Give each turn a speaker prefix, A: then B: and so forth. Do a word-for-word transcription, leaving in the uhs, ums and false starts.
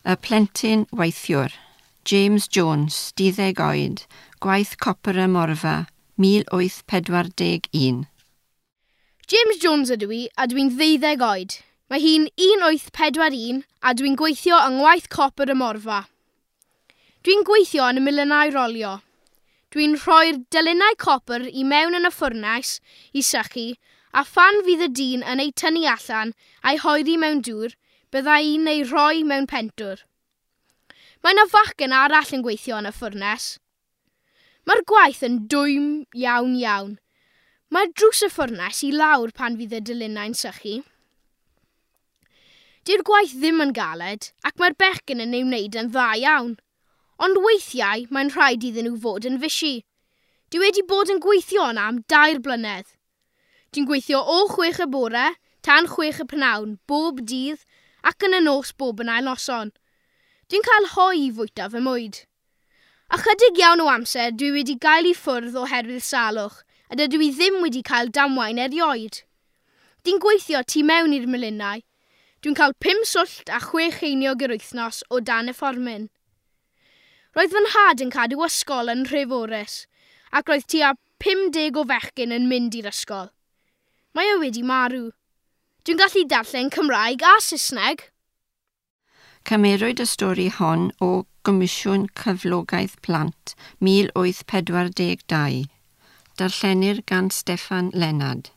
A: Y plentyn weithiwr, James Jones, duddeg oed, gwaith copr y Morfa, mil wyth pedwar deg un.
B: James Jones ydw i a dwi'n ddeuddeg oed. Mae hi'n un wyth pedwar un a dwi'n gweithio yng ngwaith copr y Morfa. Dwi'n gweithio yn y miliynau rolio. Dwi'n rhoi'r delynau copr i mewn yn y ffwrnais i sychu a phan fydd y dyn yn ei tynnu allan a'i hoeri mewn dŵr, bydda i'n ei rhoi mewn pentwr. Mae yna fachgen arall yn gweithio yn y ffwrnes. Mae'r gwaith yn dwym iawn iawn. Mae'r drws y ffwrnes i lawr pan fydd y delynau'n sychu. Dyw'r gwaith ddim yn galed ac mae'r bechgyn yn ei wneud yn dda iawn. Ond weithiau mae'n rhaid iddyn nhw fod yn fysi. Dwi wedi bod yn gweithio yna am dair blynedd. Dwi'n gweithio o chwech y bore tan chwech y prynhawn bob dydd ac yn y nos bob yn ail noson. Dwi'n cael hoe i fwyta fy mwyd. Ychydig iawn o amser dwi wedi gael i ffwrdd oherwydd salwch a dydw i ddim wedi cael damwain erioed. Dwi'n gweithio tu mewn i'r melinau. Dwi'n cael pum swllt a chwe cheiniog yr wythnos o dan y fformin. Roedd fy nhad yn cadw ysgol yn Nhreforys ac roedd tua pum deg o fechgyn yn mynd i'r ysgol. Mae o wedi marw. Dwi'n gallu darllen Cymraeg a Saesneg.
A: Cymerwyd y stori hon o Gomisiwn Cyflogaeth Plant mil wyth pedwar deg dau. Darllenir gan Steffan Lennard.